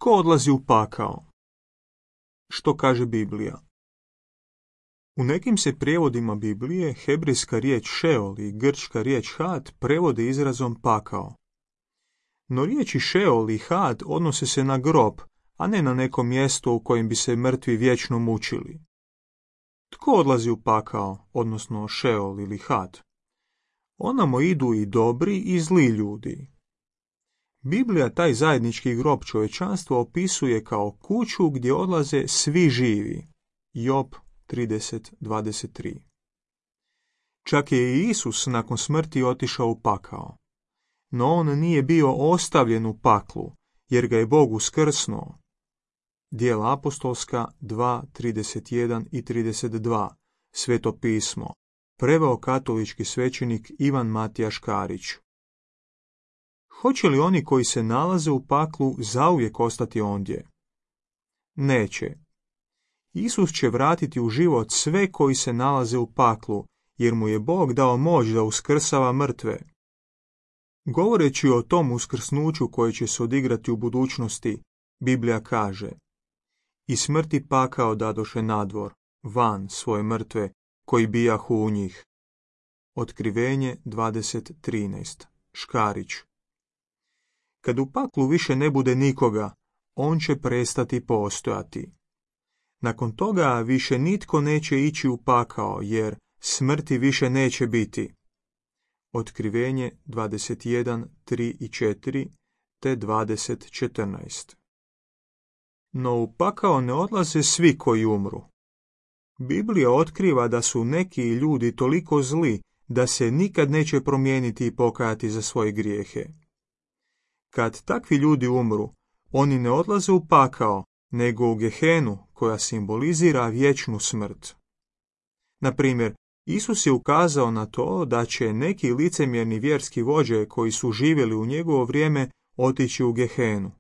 Tko odlazi u pakao? Što kaže Biblija? U nekim se prijevodima Biblije hebrejska riječ Šeol i grčka riječ Had prevode izrazom pakao. No riječi Šeol i Had odnose se na grob, a ne na neko mjesto u kojem bi se mrtvi vječno mučili. Tko odlazi u pakao, odnosno Šeol ili Had? Onamo idu i dobri i zli ljudi. Biblija taj zajednički grob čovječanstva opisuje kao kuću gdje odlaze svi živi. Job 30:23. Čak je i Isus nakon smrti otišao u pakao. No on nije bio ostavljen u paklu, jer ga je Bog uskrsnuo. Djela apostolska 2:31 i 32. Sveto pismo. Preveo katolički svećenik Ivan Matija Škarić. Hoće li oni koji se nalaze u paklu zauvijek ostati ondje? Neće. Isus će vratiti u život sve koji se nalaze u paklu, jer mu je Bog dao moć da uskrsava mrtve. Govoreći o tom uskrsnuću koje će se odigrati u budućnosti, Biblija kaže: I smrti pakao dadoše nadvor, van svoje mrtve, koji bijahu u njih. Otkrivenje 20:13. Škarić. Kad u paklu više ne bude nikoga, on će prestati postojati. Nakon toga više nitko neće ići u pakao, jer smrti više neće biti. Otkrivenje 21:3 i 4 te 20:14. No u pakao ne odlaze svi koji umru. Biblija otkriva da su neki ljudi toliko zli da se nikad neće promijeniti i pokajati za svoje grijehe. Kad takvi ljudi umru, oni ne odlaze u pakao, nego u Gehenu, koja simbolizira vječnu smrt. Na primjer, Isus je ukazao na to da će neki licemjerni vjerski vođe koji su živjeli u njegovo vrijeme otići u Gehenu.